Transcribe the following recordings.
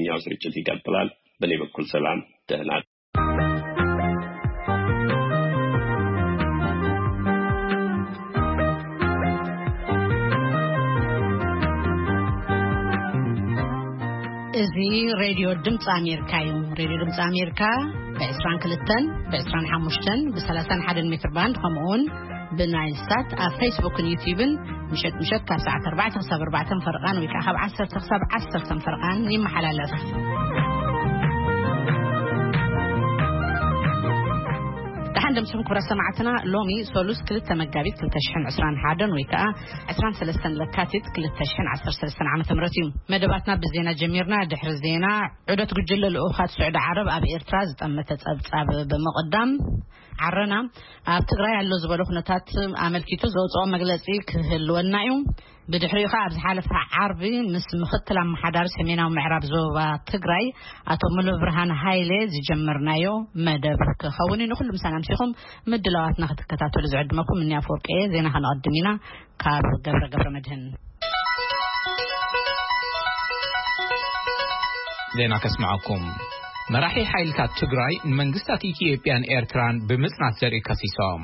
ያው ስርጭት ይቀጥላል። በእኔ በኩል ሰላም፣ ደህና። እዚ ሬድዮ ድምፂ ኣሜሪካ እዩ። ሬድዮ ድምፂ ኣሜሪካ ብ22ን ብ25ን ብ31 ሜትር ባንድ፣ ከምኡውን ብናይል ሳት ኣብ ፌስቡክን ዩቲዩብን ምሸት ምሸት ካብ ሰዓት ኣርባዕተ ክሳብ ኣርባዕተ ፈርቓን ወይ ከዓ ካብ ዓሰርተ ክሳብ ዓሰርተ ፈርቓን ይመሓላለፍ። ደሓን ደምስኹም ክብራት ሰማዕትና። ሎሚ ሶሉስ ክልተ መጋቢት ክልተ ሽሕን ዕስራን ሓደን ወይ ከዓ ዕስራን ሰለስተን ለካቲት ክልተ ሽሕን ዓሰርተ ሰለስተን ዓመተ ምህረት እዩ። መደባትና ብዜና ጀሚርና። ድሕሪ ዜና፣ ዑደት ጉጅለ ልኡኻት ስዑዲ ዓረብ ኣብ ኤርትራ ዝጠመተ ጸብጻብ ብምቕዳም፣ ዓረና ኣብ ትግራይ ኣሎ ዝበሎ ኩነታት ኣመልኪቱ ዘውፅኦ መግለፂ ክህልወና እዩ። ብድሕሪኡ ከዓ ኣብ ዝሓለፈ ዓርቢ ምስ ምክትል ኣመሓዳሪ ሰሜናዊ ምዕራብ ዞባ ትግራይ ኣቶ ሙሉ ብርሃን ሃይሌ ዝጀመርናዮ መደብ ክኸውን እዩ። ንኩሉ ምሳና ምሲኹም ምድላዋትና ክትከታተሉ ዝዕድመኩም እኒ ኣፈወርቂ እየ። ዜና ከነቐድም ኢና። ካብ ገብረ ገብረ መድህን ዜና ከስምዓኩም። መራሒ ሓይልታት ትግራይ ንመንግስታት ኢትዮጵያን ኤርትራን ብምጽናት ዘርኢ ከሲሶም።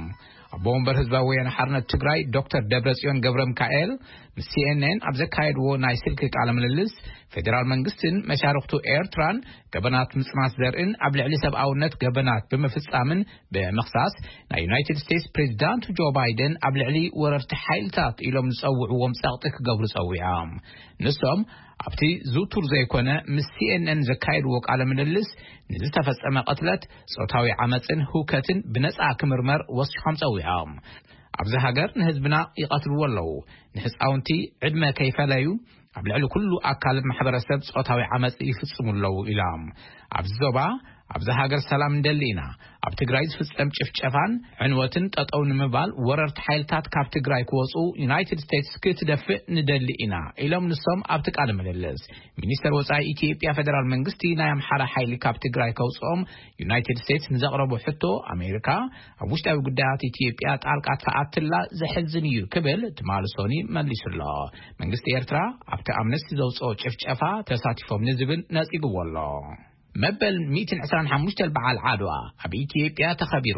ኣቦ ወንበር ህዝባዊ ወያነ ሓርነት ትግራይ ዶክተር ደብረጽዮን ገብረ ሚካኤል ምስ ሲኤንኤን ኣብ ዘካየድዎ ናይ ስልኪ ቃለ ምልልስ፣ ፌዴራል መንግስትን መሻርክቱ ኤርትራን ገበናት ምጽናት ዘርእን ኣብ ልዕሊ ሰብኣውነት ገበናት ብምፍጻምን ብምኽሳስ፣ ናይ ዩናይትድ ስቴትስ ፕሬዚዳንት ጆ ባይደን ኣብ ልዕሊ ወረርቲ ሓይልታት ኢሎም ዝጸውዕዎም ጸቕጢ ክገብሩ ጸዊዖም። ንሶም ኣብቲ ዝውቱር ዘይኮነ ምስ ሲኤንኤን ዘካየድዎ ቃለ ምልልስ፣ ንዝተፈጸመ ቅትለት፣ ጾታዊ ዓመጽን ህውከትን ብነጻ ክምርመር ወሲኾም ጸዊዖም። ኣብዚ ሃገር ንህዝብና ይቐትልዎ ኣለዉ፣ ንህጻውንቲ ዕድመ ከይፈለዩ ኣብ ልዕሊ ኩሉ ኣካል ማሕበረሰብ ጾታዊ ዓመጽ ይፍጽሙ ኣለዉ ኢሎም። ኣብዚ ዞባ፣ ኣብዚ ሃገር ሰላም ንደሊ ኢና። ኣብ ትግራይ ዝፍጸም ጭፍጨፋን ዕንወትን ጠጠው ንምባል ወረርቲ ሓይልታት ካብ ትግራይ ክወፁ ዩናይትድ ስቴትስ ክትደፍእ ንደሊ ኢና ኢሎም ንሶም ኣብቲ ቃለ ምልልስ። ሚኒስተር ወፃኢ ኢትዮጵያ ፌደራል መንግስቲ ናይ ኣምሓራ ሓይሊ ካብ ትግራይ ከውፅኦም ዩናይትድ ስቴትስ ንዘቕረቦ ሕቶ፣ ኣሜሪካ ኣብ ውሽጣዊ ጉዳያት ኢትዮጵያ ጣልቃ ትኣትላ ዘሕዝን እዩ ክብል ትማሊ ሶኒ መሊሱሎ። መንግስቲ ኤርትራ ኣብቲ ኣምነስቲ ዘውፅኦ ጭፍጨፋ ተሳቲፎም ንዝብል ነፂግዎ ኣሎ። መበል ሚእትን ዕስራን ሓሙሽተን በዓል ዓድዋ ኣብ ኢትዮጵያ ተኸቢሩ።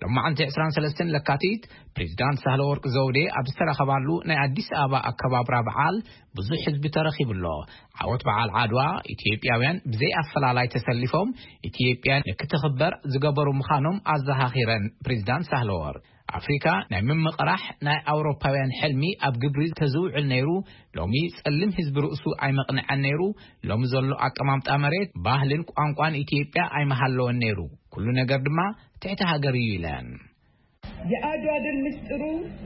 ሎማዕንቲ ዕስራን ሰለስተን ለካቲት ፕሬዚዳንት ሳህለወርቅ ዘውዴ ኣብ ዝተረኸባሉ ናይ ኣዲስ ኣበባ ኣከባብራ በዓል ብዙሕ ህዝቢ ተረኺቡሎ። ዓወት በዓል ዓድዋ ኢትዮጵያውያን ብዘይ ኣፈላላይ ተሰሊፎም ኢትዮጵያ ንክትኽበር ዝገበሩ ምዃኖም ኣዘኻኺረን ፕሬዚዳንት ሳህለወርቅ፣ ኣፍሪካ ናይ ምምቕራሕ ናይ ኣውሮፓውያን ሕልሚ ኣብ ግብሪ ተዝውዕል ነይሩ፣ ሎሚ ጸሊም ህዝቢ ርእሱ ኣይመቕንዐን ነይሩ፣ ሎሚ ዘሎ ኣቀማምጣ መሬት፣ ባህልን ቋንቋን ኢትዮጵያ ኣይመሃለወን ነይሩ፣ ኩሉ ነገር ድማ ትሕቲ ሃገር እዩ ኢለን። የአድዋ ድል ምስጢሩ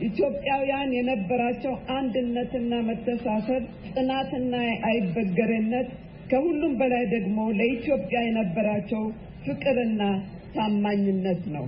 ኢትዮጵያውያን የነበራቸው አንድነትና መተሳሰብ፣ ጽናትና አይበገሬነት፣ ከሁሉም በላይ ደግሞ ለኢትዮጵያ የነበራቸው ፍቅርና ታማኝነት ነው።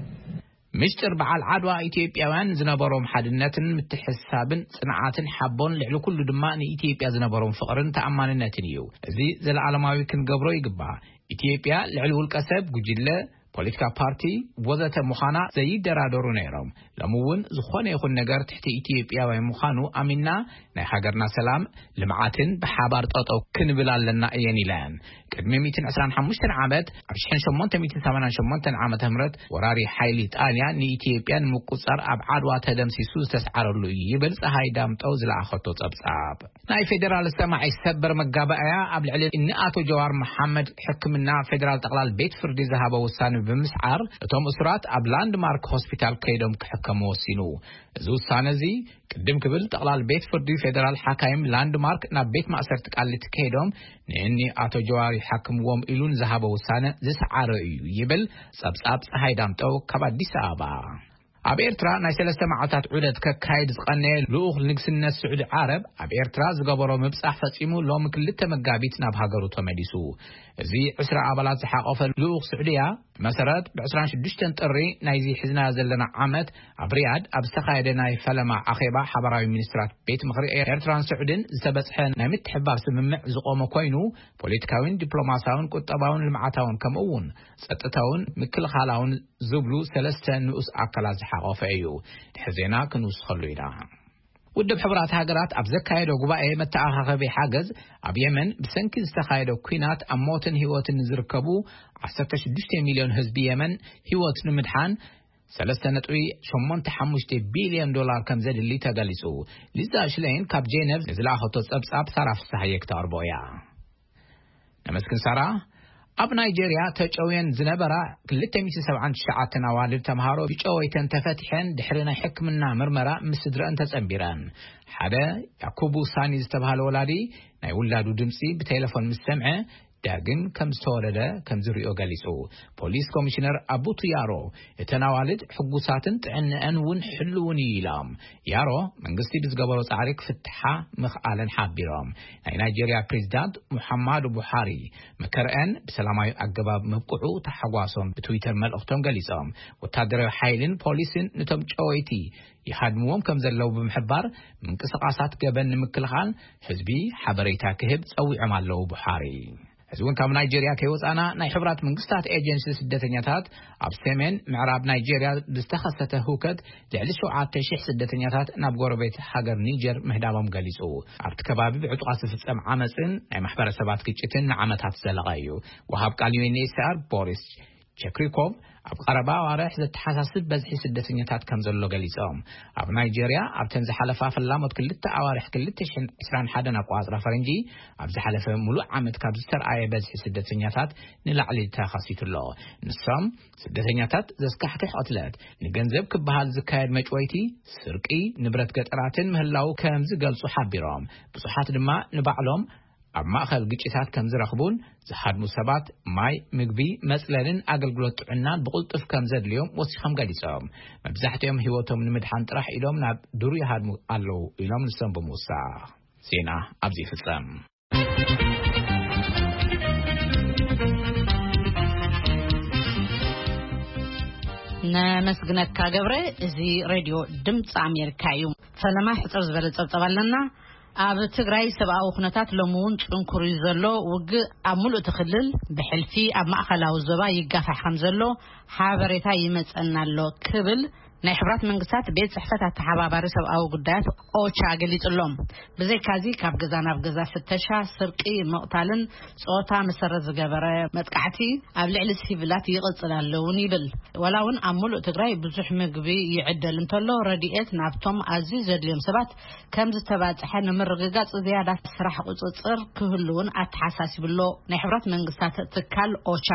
ምስጢር በዓል ዓድዋ ኢትዮጵያውያን ዝነበሮም ሓድነትን ምትሕስሳብን ጽንዓትን ሓቦን፣ ልዕሊ ኩሉ ድማ ንኢትዮጵያ ዝነበሮም ፍቕርን ተኣማንነትን እዩ። እዚ ዘለዓለማዊ ክንገብሮ ይግባእ። ኢትዮጵያ ልዕሊ ውልቀ ሰብ፣ ጉጅለ፣ ፖለቲካ ፓርቲ ወዘተ ምዃና ዘይደራደሩ ነይሮም። ሎሚ እውን ዝኾነ ይኹን ነገር ትሕቲ ኢትዮጵያውያን ምዃኑ ኣሚንና ናይ ሃገርና ሰላም ልምዓትን ብሓባር ጠጠው ክንብል ኣለና እየን ኢለን። ቅድሚ ሚእትን ዕስራን ሓሙሽተን ዓመት ኣብ ሽሕን ሸሞንተ ሚእትን ሰማንያን ሸሞንተን ዓመተ ምህረት ወራሪ ሓይሊ ጣልያን ንኢትዮጵያ ንምቁጻር ኣብ ዓድዋ ተደምሲሱ ዝተስዓረሉ እዩ ይብል ጸሃይ ዳምጠው ዝለኣኸቶ ጸብጻብ። ናይ ፌዴራል ሰማዒ ሰበር መጋባእያ ኣብ ልዕሊ እኒ ኣቶ ጀዋር መሓመድ ሕክምና ፌዴራል ጠቕላል ቤት ፍርዲ ዝሃበ ውሳነ ብምስዓር እቶም እሱራት ኣብ ላንድማርክ ሆስፒታል ከይዶም ክሕከሙ ወሲኑ። እዚ ውሳነ እዚ ቅድም ክብል ጠቕላል ቤት ፍርዲ ፌዴራል ሓካይም ላንድማርክ ናብ ቤት ማእሰርቲ ቃሊቲ ከይዶም ንእኒ ኣቶ ጀዋር ይሓክምዎም ኢሉ ንዝሃበ ውሳነ ዝሰዓረ እዩ ይብል ጸብጻብ ጸሃይ ዳምጠው ካብ ኣዲስ ኣበባ። ኣብ ኤርትራ ናይ ሰለስተ መዓልታት ዑደት ከካይድ ዝቐነየ ልኡኽ ንግስነት ስዑዲ ዓረብ ኣብ ኤርትራ ዝገበሮ ምብጻሕ ፈጺሙ ሎሚ ክልተ መጋቢት ናብ ሃገሩ ተመሊሱ። እዚ ዕስራ ኣባላት ዝሓቖፈ ልኡኽ ስዑድያ ብመሰረት ብ ዕስራን ሽዱሽተን ጥሪ ናይዚ ሒዝናዮ ዘለና ዓመት ኣብ ሪያድ ኣብ ዝተኻየደ ናይ ፈለማ ኣኼባ ሓባራዊ ሚኒስትራት ቤት ምኽሪ ኤርትራን ስዑድን ዝተበጽሐ ናይ ምትሕብባር ስምምዕ ዝቖመ ኮይኑ ፖለቲካዊን ዲፕሎማሳውን ቁጠባውን ልምዓታውን ከምኡ እውን ጸጥታውን ምክልኻላውን ዝብሉ ሰለስተ ንኡስ ኣካላት ዝሓቖፈ እዩ። ድሕሪ ዜና ክንውስኸሉ ኢና። ውድብ ሕቡራት ሃገራት ኣብ ዘካየዶ ጉባኤ መተኣኻኸቢ ሓገዝ፣ ኣብ የመን ብሰንኪ ዝተኻየደ ኲናት ኣብ ሞትን ህይወትን ንዝርከቡ ዓሰርተ ሽዱሽተ ሚልዮን ህዝቢ የመን ህይወት ንምድሓን ሰለስተ ነጥቢ ሸሞንተ ሓሙሽተ ቢልዮን ዶላር ከም ዘድሊ ተገሊጹ። ሊዛ ሽለይን ካብ ጄነቭ ንዝለኣኸቶ ጸብጻብ ሳራ ፍስሓየ ክተቕርቦ እያ። ነመስግን ሳራ። ኣብ ናይጄርያ ተጨውየን ዝነበራ ክልተ ሚእቲ ሰብዓን ትሽዓተን ኣዋልድ ተምሃሮ ብጨወይተን ተፈቲሐን ድሕሪ ናይ ሕክምና ምርመራ ምስ ስድረን ተጸንቢረን። ሓደ ያኩቡ ሳኒ ዝተባህለ ወላዲ ናይ ውላዱ ድምጺ ብቴሌፎን ምስ ሰምዐ ዳግም ከም ዝተወለደ ከም ዝሪኦ ገሊጹ። ፖሊስ ኮሚሽነር ኣቡቱ ያሮ እተን ኣዋልድ ሕጉሳትን ጥዕንአን እውን ሕልውን እዩ ኢሎም። ያሮ መንግስቲ ብዝገበሮ ጻዕሪ ክፍትሓ ምኽኣለን ሓቢሮም። ናይ ናይጄርያ ፕሬዚዳንት ሙሓማዱ ቡሓሪ መከረአን ብሰላማዊ ኣገባብ ምብቅዑ ተሓጓሶም ብትዊተር መልእኽቶም ገሊጾም። ወታደራዊ ሓይልን ፖሊስን ነቶም ጨወይቲ ይሃድምዎም ከም ዘለዉ ብምሕባር፣ ምንቅስቓሳት ገበን ንምክልኻል ህዝቢ ሓበሬታ ክህብ ጸዊዖም ኣለዉ። ቡሓሪ እዚ እውን ካብ ናይጄርያ ከይወጻና፣ ናይ ሕብራት መንግስታት ኤጀንሲ ስደተኛታት ኣብ ሰሜን ምዕራብ ናይጄርያ ብዝተኸሰተ ህውከት ልዕሊ ሸውዓተ ሺሕ ስደተኛታት ናብ ጎረቤት ሃገር ኒጀር ምህዳሞም ገሊጹ። ኣብቲ ከባቢ ብዕጡቓት ዝፍጸም ዓመጽን ናይ ማሕበረሰባት ግጭትን ንዓመታት ዝዘለቐ እዩ። ወሃብ ቃል ዩ ኤን ኤች ሲ ኣር ቦሪስ ቸክሪኮቭ ኣብ ቀረባ ኣዋርሕ ዘተሓሳስብ በዝሒ ስደተኛታት ከም ዘሎ ገሊጾም። ኣብ ናይጄርያ ኣብተን ዝሓለፋ ፈላሞት ክልተ ኣዋርሕ ክልተ ሽሕን ዕስራን ሓደን ኣቆጻጽራ ፈረንጂ ኣብ ዝሓለፈ ሙሉእ ዓመት ካብ ዝተርኣየ በዝሒ ስደተኛታት ንላዕሊ ተኸሲቱ ኣሎ። ንሶም ስደተኛታት ዘስካሕክሕ ቅትለት፣ ንገንዘብ ክበሃል ዝካየድ መጭወይቲ፣ ስርቂ፣ ንብረት ገጠራትን ምህላው ከም ዝገልጹ ሓቢሮም። ብዙሓት ድማ ንባዕሎም ኣብ ማእኸል ግጭታት ከም ዝረኽቡን ዝሃድሙ ሰባት ማይ፣ ምግቢ፣ መጽለልን ኣገልግሎት ጥዕናን ብቕልጡፍ ከም ዘድልዮም ወሲኾም ገሊጾም። መብዛሕትኦም ህይወቶም ንምድሓን ጥራሕ ኢሎም ናብ ዱር ይሃድሙ ኣለዉ ኢሎም ንሶም ብምውሳኽ። ዜና ኣብዚ ይፍጸም። ነመስግነካ ገብረ። እዚ ሬድዮ ድምፂ ኣሜሪካ እዩ። ፈለማ ሕፅር ዝበለ ፀብፀብ ኣለና። ኣብ ትግራይ ሰብኣዊ ኩነታት ሎሚ እውን ጽንኩር እዩ ዘሎ። ውግእ ኣብ ሙሉእ እቲ ክልል ብሕልፊ ኣብ ማእኸላዊ ዞባ ይጋፋሕ ከም ዘሎ ሓበሬታ ይመጸና ኣሎ ክብል ናይ ሕብራት መንግስታት ቤት ጽሕፈት ኣተሓባባሪ ሰብኣዊ ጉዳያት ኦቻ ገሊጹ ኣሎ። ብዘይካዚ ካብ ገዛ ናብ ገዛ ፍተሻ፣ ስርቂ፣ ምቕታልን ጾታ መሰረት ዝገበረ መጥቃዕቲ ኣብ ልዕሊ ሲቪላት ይቕጽል ኣሎ እውን ይብል። ዋላ እውን ኣብ ሙሉእ ትግራይ ብዙሕ ምግቢ ይዕደል እንተሎ ረድኤት ናብቶም ኣዝዩ ዘድልዮም ሰባት ከም ዝተባጽሐ ንምርግጋጽ ዝያዳ ስራሕ ቁጽጽር ክህሉ እውን ኣተሓሳሲቡ ኣሎ ናይ ሕብራት መንግስታት ትካል ኦቻ።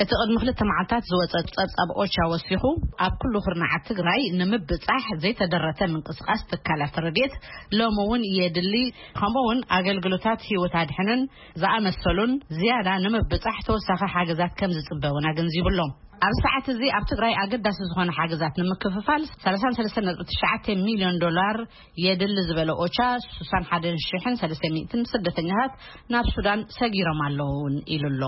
እቲ ቅድሚ ክልተ መዓልታት ዝወጸ ጸብጻብ ኦቻ ወሲኹ፣ ኣብ ኩሉ ኩርናዓት ትግራይ ንምብጻሕ ዘይተደረተ ምንቅስቃስ ትካላት ረድኤት ሎሚ እውን የድሊ፣ ከምኡ እውን ኣገልግሎታት ህይወት ኣድሕንን ዝኣመሰሉን ዝያዳ ንምብጻሕ ተወሳኺ ሓገዛት ከም ዝጽበ እውን ኣገንዚቡ ኣሎ። ኣብ ሰዓት እዚ ኣብ ትግራይ ኣገዳሲ ዝኾነ ሓገዛት ንምክፍፋል ሰላሳ ሰለስተ ነጥቢ ትሽዓተ ሚልዮን ዶላር የድሊ ዝበለ ኦቻ፣ ስሳን ሓደን ሽሕን ሰለስተ ሚእትን ስደተኛታት ናብ ሱዳን ሰጊሮም ኣለዉ እውን ኢሉ ኣሎ።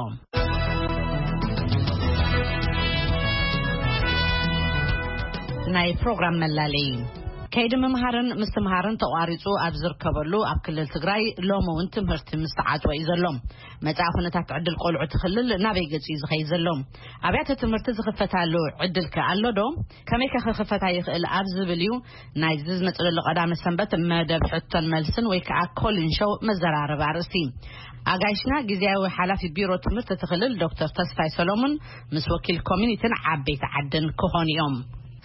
ናይ ፕሮግራም መላለይ። ከይዲ ምምሃርን ምስትምሃርን ተቋሪጹ ኣብ ዝርከበሉ ኣብ ክልል ትግራይ ሎሚ እውን ትምህርቲ ምስ ተዓጽወ እዩ ዘሎ። መጻኢ ኩነታት ዕድል ቆልዑ እቲ ክልል ናበይ ገጹ እዩ ዝኸይድ ዘሎ? ኣብያተ ትምህርቲ ዝኽፈታሉ ዕድል ከ ኣሎ ዶ? ከመይ ከ ክኽፈታ ይኽእል ኣብ ዝብል እዩ ናይዚ ዝመጽእ ዘሎ ቀዳመ ሰንበት መደብ ሕቶን መልስን ወይ ከዓ ኮሊን ሾው መዘራረቢ ኣርእስቲ። ኣጋይሽና ግዜያዊ ሓላፊ ቢሮ ትምህርቲ እቲ ክልል ዶክተር ተስፋይ ሰሎሙን ምስ ወኪል ኮሚኒቲን ዓበይቲ ዓድን ክኾኑ እዮም።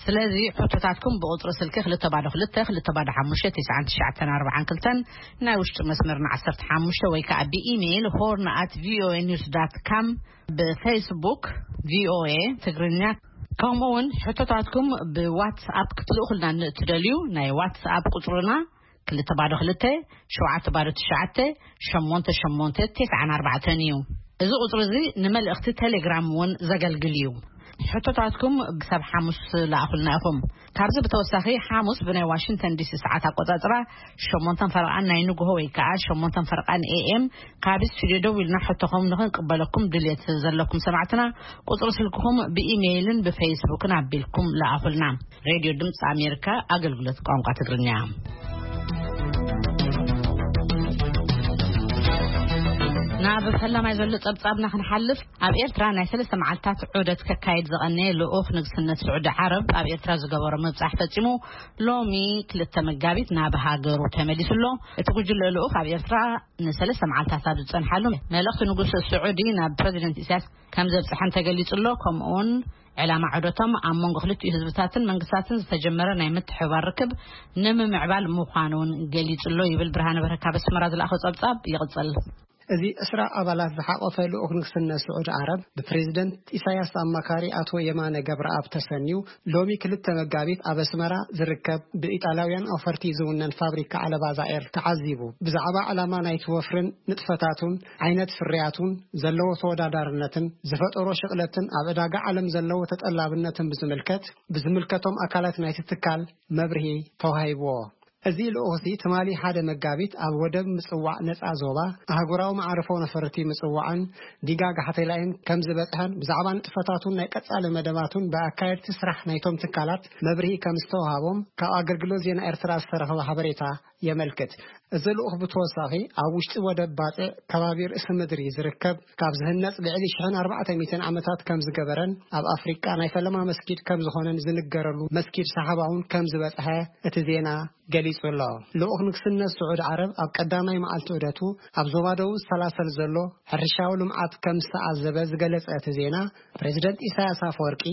ስለዚ ሕቶታትኩም ብቁጽሪ ስልኪ ክልተ ባዶ ክልተ፣ ክልተ ባዶ ሓሙሽተ፣ ትሽዓን ትሽዓተን ኣርባዓን ክልተን፣ ናይ ውሽጢ መስመርና ዓሰርተ ሓሙሽተ ወይ ከዓ ብኢሜይል ሆርን ኣት ቪኦኤ ኒውስ ዳት ካም፣ ብፌስቡክ ቪኦኤ ትግርኛ፣ ከምኡ እውን ሕቶታትኩም ብዋትስኣፕ ክትልእኹልና ንእትደልዩ ናይ ዋትስኣፕ ቁጽርና ክልተ ባዶ ክልተ፣ ሸውዓተ ባዶ ትሽዓተ፣ ሸሞንተ ሸሞንተ፣ ተስዓን ኣርባዕተን እዩ። እዚ ቁጽሪ እዚ ንመልእኽቲ ቴሌግራም እውን ዘገልግል እዩ። ሕቶታትኩም ክሳብ ሓሙስ ለኣኹልና ኢኹም። ካብዚ ብተወሳኺ ሓሙስ ብናይ ዋሽንግተን ዲሲ ሰዓት ኣቆጻጽራ ሸሞንተን ፈረቓን ናይ ንግሆ ወይ ከዓ ሸሞንተን ፈረቓን ኤ ኤም ካብ ስቱዲዮ ደዊልና ሕቶኹም ንኽንቅበለኩም ድልየት ዘለኩም ሰማዕትና ቁጽሪ ስልክኹም ብኢሜይልን ብፌስቡክን ኣቢልኩም ለኣኹልና። ሬድዮ ድምፂ ኣሜሪካ ኣገልግሎት ቋንቋ ትግርኛ። ናብ ፈላማይ ዘሎ ጸብጻብና ክንሓልፍ፣ ኣብ ኤርትራ ናይ ሰለስተ መዓልታት ዑደት ከካይድ ዝቐነየ ልኡኽ ንግስነት ስዑዲ ዓረብ ኣብ ኤርትራ ዝገበሮ ምብጻሕ ፈጺሙ፣ ሎሚ ክልተ መጋቢት ናብ ሃገሩ ተመሊሱ ኣሎ። እቲ ጉጅለ ልኡኽ ኣብ ኤርትራ ንሰለስተ መዓልታት ኣብ ዝጸንሓሉ፣ መልእኽቲ ንጉስ ስዑዲ ናብ ፕረዚደንት ኢሳያስ ከም ዘብጽሐን ተገሊጹ ኣሎ። ከምኡውን ዕላማ ዑደቶም ኣብ መንጎ ክልቲኡ ህዝብታትን መንግስታትን ዝተጀመረ ናይ ምትሕብባር ርክብ ንምምዕባል ምዃኑ እውን ገሊጹ ኣሎ ይብል ብርሃነ በረካ ኣብ ኣስመራ ዝለኣኾ ጸብጻብ። ይቕጽል። እዚ ዕስራ ኣባላት ዝሓቖፈ ልኡኽ ንግስነት ስዑዲ ዓረብ፣ ብፕሬዝደንት ኢሳያስ ኣማካሪ ኣቶ የማነ ገብረኣብ ተሰንዩ፣ ሎሚ ክልተ መጋቢት ኣብ ኣስመራ ዝርከብ ብኢጣልያውያን ኣውፈርቲ ዝውነን ፋብሪካ ዓለባ ዛኤር ተዓዚቡ። ብዛዕባ ዕላማ ናይቲ ወፍርን ንጥፈታቱን፣ ዓይነት ፍርያቱን፣ ዘለዎ ተወዳዳርነትን፣ ዝፈጠሮ ሽቕለትን፣ ኣብ ዕዳጋ ዓለም ዘለዎ ተጠላብነትን ብዝምልከት፣ ብዝምልከቶም ኣካላት ናይቲ ትካል መብርሂ ተዋሂብዎ። እዚ ልኡኽሲ ትማሊ ሓደ መጋቢት ኣብ ወደብ ምጽዋዕ ነጻ ዞባ ኣህጉራዊ መዕርፎ ነፈርቲ ምጽዋዕን ዲጋ ጋሕቴላይን ከም ዝበጽሐን ብዛዕባ ንጥፈታቱን ናይ ቀጻሊ መደባቱን ብኣካየድቲ ስራሕ ናይቶም ትካላት መብርሂ ከም ዝተዋሃቦም ካብ ኣገልግሎት ዜና ኤርትራ ዝተረኸበ ሓበሬታ የመልክት። እዚ ልኡኽ ብተወሳኺ ኣብ ውሽጢ ወደብ ባጽዕ ከባቢ ርእሲ ምድሪ ዝርከብ ካብ ዝህነጽ ልዕሊ ሽሕን ኣርባዕተ ሚእትን ዓመታት ከም ዝገበረን ኣብ ኣፍሪቃ ናይ ፈለማ መስጊድ ከም ዝኾነን ዝንገረሉ መስጊድ ሳሓባ እውን ከም ዝበጽሐ እቲ ዜና ገሊጹ ኣሎ። ልኡኽ ንግስነት ስዑድ ዓረብ ኣብ ቀዳማይ መዓልቲ ዑደቱ ኣብ ዞባ ደቡብ ዝሰላሰል ዘሎ ሕርሻዊ ልምዓት ከም ዝተዓዘበ ዝገለጸ እቲ ዜና፣ ፕሬዝደንት ኢሳያስ ኣፈወርቂ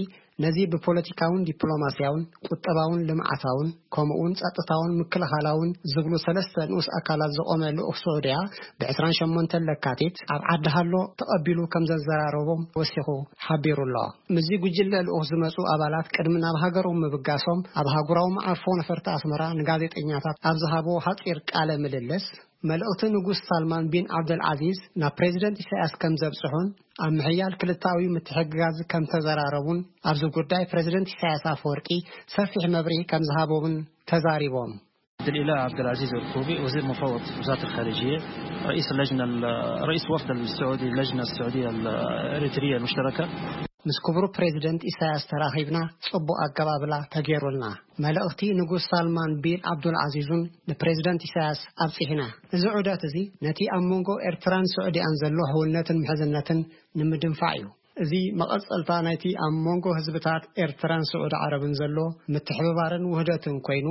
ነዚ ብፖለቲካውን ዲፕሎማስያውን ቁጠባውን ልምዓታውን ከምኡውን ጸጥታውን ምክልኻላውን ዝብሉ ሰለስተ ንኡስ ኣካላት ዝቖመ ልኡኽ ስዑድያ ብ ዕስራን ሸሞንተን ለካቲት ኣብ ዓዲ ሃሎ ተቐቢሉ ከም ዘዘራረቦም ወሲኹ ሓቢሩ ኣሎ። ምስዚ ጉጅለ ልኡኽ ዝመጹ ኣባላት ቅድሚ ናብ ሃገሮም ምብጋሶም ኣብ ኣህጉራዊ መዓርፎ ነፈርቲ ኣስመራ ንጋዜጠኛታት ኣብ ዝሃብዎ ሓጺር ቃለ ምልልስ፣ መልእኽቲ ንጉስ ሳልማን ቢን ዓብደልዓዚዝ ናብ ፕሬዝደንት ኢሳያስ ከም ዘብጽሑን ኣብ ምሕያል ክልታዊ ምትሕግጋዝ ከም ተዘራረቡን ኣብዚ ጉዳይ ፕሬዝደንት ኢሳያስ ኣፈወርቂ ሰፊሕ መብርሂ ከም ዝሃቦምን ተዛሪቦም። عبد الإله عبد العزيز الكوبي، وزير مفوض وزارة الخارجية، رئيس اللجنة ال-، رئيس وفد السعودي، اللجنة السعودية الإريترية المشتركة. ምስ ክቡር ፕሬዝደንት ኢሳያስ ተራኺብና፣ ጽቡቕ ኣቀባብላ ተገይሩልና። መልእኽቲ ንጉስ ሳልማን ቢን ዓብዱል ዓዚዙን ንፕሬዝደንት ኢሳያስ ኣብጺሕና። እዚ ዑደት እዚ ነቲ ኣብ መንጎ ኤርትራን ስዑዲያን ዘሎ ሕውነትን ምሕዝነትን ንምድንፋዕ እዩ። እዚ መቐጸልታ ናይቲ ኣብ መንጎ ህዝብታት ኤርትራን ስዑዲ ዓረብን ዘሎ ምትሕብባርን ውህደትን ኮይኑ፣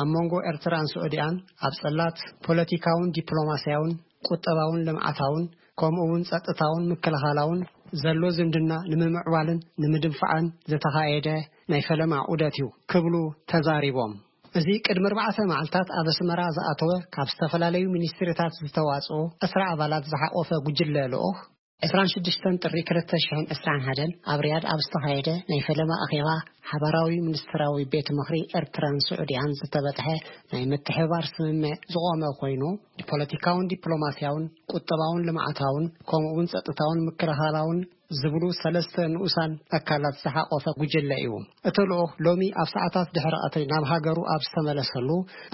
ኣብ መንጎ ኤርትራን ስዑዲያን ኣብ ጽላት ፖለቲካውን ዲፕሎማስያውን ቁጠባውን ልምዓታውን ከምኡ እውን ጸጥታውን ምክልኻላውን ዘሎ ዝምድና ንምምዕባልን ንምድንፋዕን ዝተኻየደ ናይ ፈለማ ዑደት እዩ ክብሉ ተዛሪቦም። እዚ ቅድሚ ኣርባዕተ መዓልታት ኣብ ኣስመራ ዝኣተወ ካብ ዝተፈላለዩ ሚኒስትሪታት ዝተዋጽኡ ዕስራ ኣባላት ዝሓቖፈ ጉጅለ ልኡኽ ዕስራን ሽዱሽተን ጥሪ ክልተ ሽሕን ዕስራን ሓደን ኣብ ሪያድ ኣብ ዝተኻየደ ናይ ፈለማ ኣኼባ ሓባራዊ ሚኒስትራዊ ቤት ምኽሪ ኤርትራን ስዑድያን ዝተበጽሐ ናይ ምትሕብባር ስምምዕ ዝቖመ ኮይኑ፣ ንፖለቲካውን ዲፕሎማስያውን ቁጠባውን ልምዓታውን ከምኡ እውን ጸጥታውን ምክልኻላውን ዝብሉ ሰለስተ ንኡሳን ኣካላት ዝሓቖፈ ጉጅለ እዩ። እቲ ልኡኽ ሎሚ ኣብ ሰዓታት ድሕሪ ቀትሪ ናብ ሃገሩ ኣብ ዝተመለሰሉ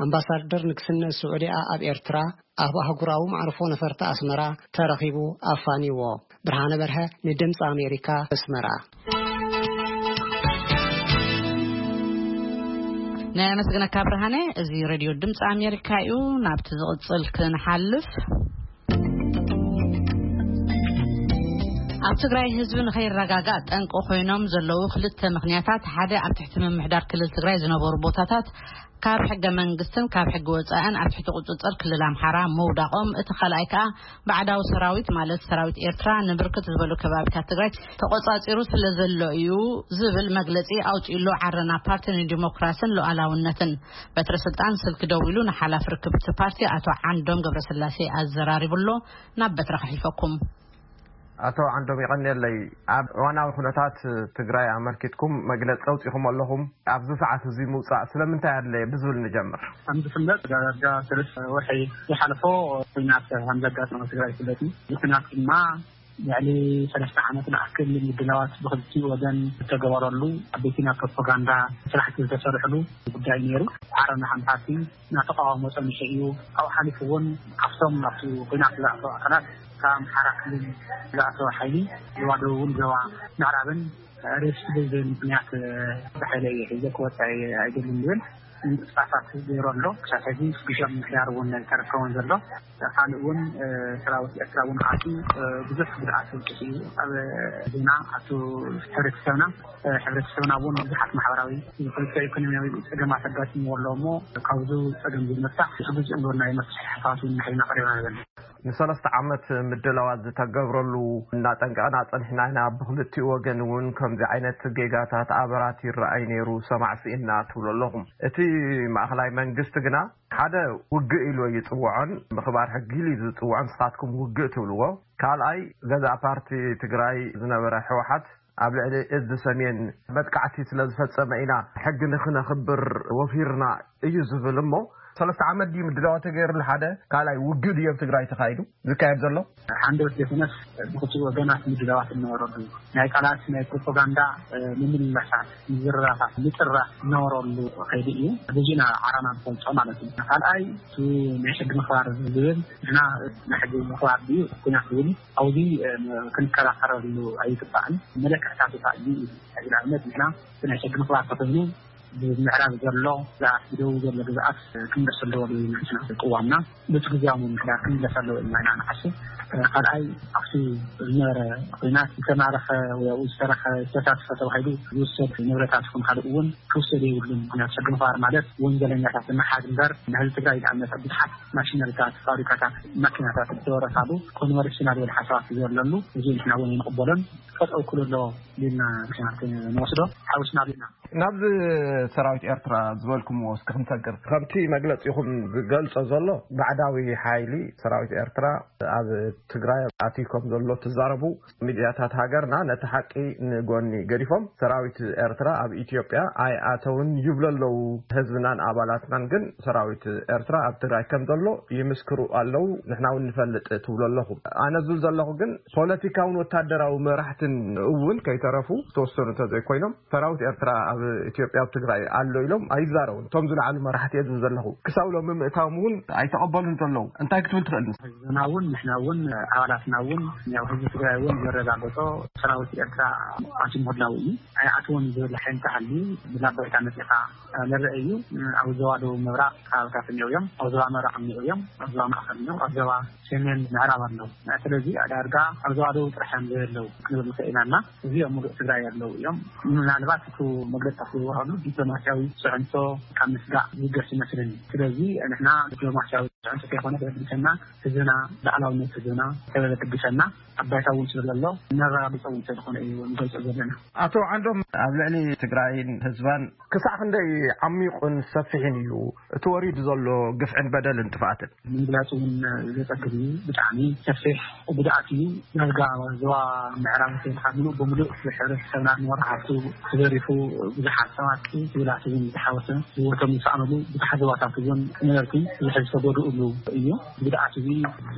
ኣምባሳደር ንግስነት ስዑዲያ ኣብ ኤርትራ ኣብ ኣህጉራዊ መዕርፎ ነፈርቲ ኣስመራ ተረኺቡ ኣፋንይዎ። ብርሃነ በርሀ ንድምፂ ኣሜሪካ ኣስመራ። ነመስግነካ ብርሃነ። እዚ ሬድዮ ድምፂ ኣሜሪካ እዩ። ናብቲ ዝቕፅል ክንሓልፍ፣ ኣብ ትግራይ ህዝቢ ንኸይረጋጋእ ጠንቂ ኮይኖም ዘለዉ ክልተ ምኽንያታት፣ ሓደ ኣብ ትሕቲ ምምሕዳር ክልል ትግራይ ዝነበሩ ቦታታት ካብ ሕገ መንግስትን ካብ ሕጊ ወፃእን ኣብ ትሕቲ ቁፅፅር ክልል ኣምሓራ ምውዳቖም፣ እቲ ካልኣይ ከዓ ባዕዳዊ ሰራዊት ማለት ሰራዊት ኤርትራ ንብርክት ዝበሉ ከባቢታት ትግራይ ተቆፃፂሩ ስለ ዘሎ እዩ ዝብል መግለፂ ኣውፂእሉ። ዓረና ፓርቲ ንዲሞክራስን ሉዓላውነትን በትረ ስልጣን ስልኪ ደዊሉ ንሓላፊ ርክብቲ ፓርቲ ኣቶ ዓንዶም ገብረስላሴ ኣዘራሪቡሎ። ናብ በትረ ከሕልፈኩም። ኣቶ ዓንዶም ይቐንየለይ። ኣብ እዋናዊ ኩነታት ትግራይ ኣመልኪትኩም መግለፂ ኣውፂኹም ኣለኹም። ኣብዚ ሰዓት እዚ ምውፃእ ስለምንታይ ኣድለየ ብዝብል ንጀምር። ከም ዝፍለጥ ዳርጋ ሰለስተ ወርሒ ዝሓለፎ ኩናት ከም ዘጋጠመ ትግራይ ይፍለጥ እዩ። እዚ ኩናት ድማ ልዕሊ ሰለስተ ዓመት ንኣክል ምድላዋት ብክልቲኡ ወገን ዝተገበረሉ፣ ዓበይቲ ናይ ፕሮፓጋንዳ ስራሕቲ ዝተሰርሕሉ ጉዳይ ነይሩ። ዓረና ከም ፓርቲ እናተቃወሞ ጸኒሑ እዩ። ካብኡ ሓሊፉ እውን ካብቶም ናብቲ ኩናት ዝኣተዉ ኣካላት ካብ ኣምሓራ ክልል ዝኣተወ ሓይሊ ዞባ ደቡብን ዞባ ምዕራብን ሬስ ብዘይ ምኽንያት ብሓይሊ እየ ሒዘ ክወጽእ እየ ኣይደልን ዝብል ምንቅስቃሳት ገይሩ ኣሎ። ክሳብ ሕዚ ግሻ ምምሕዳር እውን ኣይተረከበን ዘሎ። ካልእ እውን ሰራዊት ኤርትራ እውን ኣትዩ ብዙሕ ጉድኣት ኣብፅሑ እዩ። ኣብ ዜና ኣቱ ሕብረተሰብና ሕብረተሰብና እውን ብዙሓት ማሕበራዊ፣ ፖለቲካዊ፣ ኢኮኖሚያዊ ፀገማት ኣጋጢምዎ ኣሎ እሞ ካብዚ ፀገም ዝመፃእ ስጉዝ እንብሎ ናይ መፍትሒ ሓሳባት እውን ንሕና ቀሪብና ዘለና። ንሰለስተ ዓመት ምድላዋት ዝተገብረሉ እናጠንቀቕና ፀኒሕና ኢና። ብክልቲኡ ወገን እውን ከምዚ ዓይነት ጌጋታት ኣበራት ይረኣይ ነይሩ፣ ሰማዕ ስኢንና ትብሉ ኣለኹም። እቲ ማእኸላይ መንግስቲ ግና ሓደ ውግእ ኢሉ ይፅውዖን ምኽባር ሕጊ ኢሉ ዝፅውዖን ንስኻትኩም ውግእ ትብልዎ። ካልኣይ ገዛእ ፓርቲ ትግራይ ዝነበረ ህወሓት ኣብ ልዕሊ እዚ ሰሜን መጥቃዕቲ ስለ ዝፈፀመ ኢና ሕጊ ንክነኽብር ወፊርና እዩ ዝብል እሞ ሰለስተ ዓመት ድዩ ምድላዋ ተገይሩሉ? ሓደ ካልኣይ ውግእ ድዩ ኣብ ትግራይ ተኻይዱ ዝካየድ ዘሎ? ሓንደበት ዘይኮነስ ብክልቲኡ ወገናት ምድላዋት እናወረዱ ናይ ቃላት ናይ ፕሮፓጋንዳ ምምልላሳት ምዝርራፋት ምጥራፍ እናወረሉ ከይዱ እዩ። በዚና ዓራና ንፈልጦ ማለት እዩ። ካልኣይ እቲ ናይ ሕጊ ምኽባር ዝብል ንሕና ናይ ሕጊ ምኽባር ድዩ ኩናት ዝብል ኣብዚ ክንከራኸረሉ ኣይግባእን። መለክዕታት ወፃኢ እዩ። ንኣብነት ንሕና ናይ ሕጊ ምኽባር ተኮይኑ ብምዕራብ ዘሎ ግዛኣት ብደቡብ ዘሎ ግዛኣት ክምለስ ኣለዎ ዝብል ንሕና ቅዋምና በቲ ግዜያዊ ምምሕዳር ክምለስ ኣለዎ ኢልና ኢና ንሓስብ። ካልኣይ ኣብቲ ዝነበረ ኩናት ዝተማረኸ ወይ ኣብኡ ዝተረኸ ዝተሳተፈ ተባሂሉ ዝውሰድ ንብረታት ይኹን ካልእ እውን ክውሰድ የብሉን። ምክንያቱ ሕጊ ምኽባር ማለት ወንጀለኛታት ንምሓዝ እምበር ንህዝቢ ትግራይ ዝኣመፀ ብዙሓት ማሽነሪታት፣ ፋብሪካታት፣ ማኪናታት ዝተወረሳሉ ኮንቨርሽናል ወደ ሓሳባት ዘለሉ እዚ ንሕና እውን ይንቕበሎን ጠጠው ክሉ ኣለዎ ኢልና ንወስዶ ሓዊስና ኢልና ናብዚ ሰራዊት ኤርትራ ዝበልኩምዎ እስኪ ክንሰግር። ከምቲ መግለጺኹም ዝገልጾ ዘሎ ባዕዳዊ ሓይሊ ሰራዊት ኤርትራ ኣብ ትግራይ ኣትዩ ከም ዘሎ ትዛረቡ ሚድያታት ሃገርና ነቲ ሓቂ ንጎኒ ገዲፎም ሰራዊት ኤርትራ ኣብ ኢትዮጵያ ኣይኣተውን ይብሉ ኣለዉ። ህዝብናን ኣባላትናን ግን ሰራዊት ኤርትራ ኣብ ትግራይ ከም ዘሎ ይምስክሩ ኣለዉ። ንሕና እውን ንፈልጥ ትብሉ ኣለኹም። ኣነ ዝብል ዘለኹ ግን ፖለቲካውን ወታደራዊ መራሕትን እውን ከይተረፉ ዝተወሰኑ እንተዘይኮይኖም ሰራዊት ኤርትራ ኣብ ኢትዮጵያ ኣብ ትግራይ ኣሎ ኢሎም ኣይዛረቡን። እቶም ዝለዓሉ መራሕቲ እየ ዝብል ዘለኹ ክሳብ ሎሚ ምእታዎም እውን ኣይተቐበሉን ዘለዉ። እንታይ ክትብል ትኽእል? ህዝብና እውን ንሕና እውን ኣባላትና እውን ያው ህዝቢ ትግራይ እውን ዘረጋገጾ ሰራዊት ኤርትራ ኣትዩ ምህላው እዩ። ኣይኣትዎን ዝብል ሓይሊ ተሃልዩ ብላባይታ መፂኻ ዝረአ እዩ። ኣብ ዞባ ደቡብ ምብራቕ ከባብታት እኒኦ እዮም። ኣብ ዞባ ምብራቕ እኒኦ እዮም። ኣብ ዞባ ማእኸል እኒኦ ኣብ ዞባ ሰሜን ምዕራብ ኣለዉ። ስለዚ ዳርጋ ኣብ ዞባ ደቡብ ጥራሕ እዮም ዘየለዉ ክንብል ንኽእል ኢና እና እዚኦም ሙሉእ ትግራይ ኣለዉ እዮም። ምናልባት እቲ መግለፅታት ዝወሃሉ ዲፕሎማሲያዊ ፅዕንቶ ካብ ምስጋእ ዝገስ ይመስለኒ። ስለዚ ንሕና ዲፕሎማሲያዊ ፅዕንቶ ከይኮነ ተበግሰና ህዝብና ላዕላውነት ህዝብና ተበግሰና ኣባይታ እውን ስለዘሎ ነረጋግፀ እውን ስለዝኾነ እዩ ንገልፆ ዘለና። ኣቶ ዓንዶም ኣብ ልዕሊ ትግራይን ህዝባን ክሳዕ ክንደይ ዓሚቑን ሰፊሕን እዩ እቲ ወሪዱ ዘሎ ግፍዕን በደልን ጥፍኣትን? ንምግላፅ እውን ዘፀግም እዩ። ብጣዕሚ ሰፊሕ ጉድኣት እዩ። ዳርጋ ዞባ ምዕራብ ተይልካ ምሉእ ብምሉእ ሕብረተሰብና ንወርሓቱ ተዘሪፉ ብዙሓት ሰባት ክብላት እውን ዝተሓወሰ ህይወቶም ዝሰኣኑሉ ብዙሓት ዞባታት እውን ነበርቲ ብዙሕ ዝተጎድኡሉ እዩ። ጉድኣት እዚ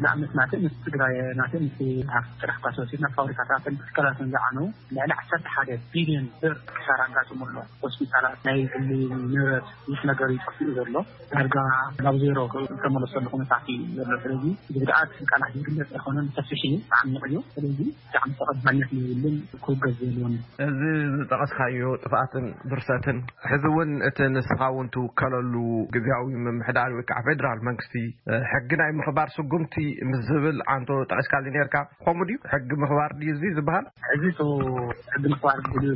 ንኣብነት ናተ ምስ ትግራይ ናተ ምስ ሃፍቲ ጥራሕ ኳ ተወሲድና ፋብሪካታትን ትካላትን ዝዓነው ልዕሊ ዓሰርተ ሓደ ቢልዮን ብር ክሳራ ኣጋጥሙ ኣሎ። ሆስፒታላት ናይ ግሊ ንብረት ይህ ነገር ይጠፍኡ ዘሎ ዳርጋ ናብ ዜሮ ዝተመለሰሉ ኩነታት እዩ ዘሎ። ስለዚ እዚ ጉድኣት ቃላት ዝግለፅ ኣይኮነን፣ ሰፊሕ እዩ፣ ዓሚቕ እዩ። ስለዚ ብጣዕሚ ተቐባልነት ዘይብልን ክውገዝ ዘይብሉን። እዚ ዝጠቐስካዮ ጥፍኣትን ብርሰትን ሕዚ እውን እቲ ንስኻ እውን ትውከለሉ ግዝያዊ ምምሕዳር ወይ ከዓ ፌዴራል መንግስቲ ሕጊ ናይ ምኽባር ስጉምቲ ምስ ዝብል ዓንቶ ጠቒስካሉ ነርካ። ከምኡ ድዩ? ሕጊ ምኽባር ድዩ እዚ ዝበሃል? ሕዚ እቲ ሕጊ ምኽባር ብልዩ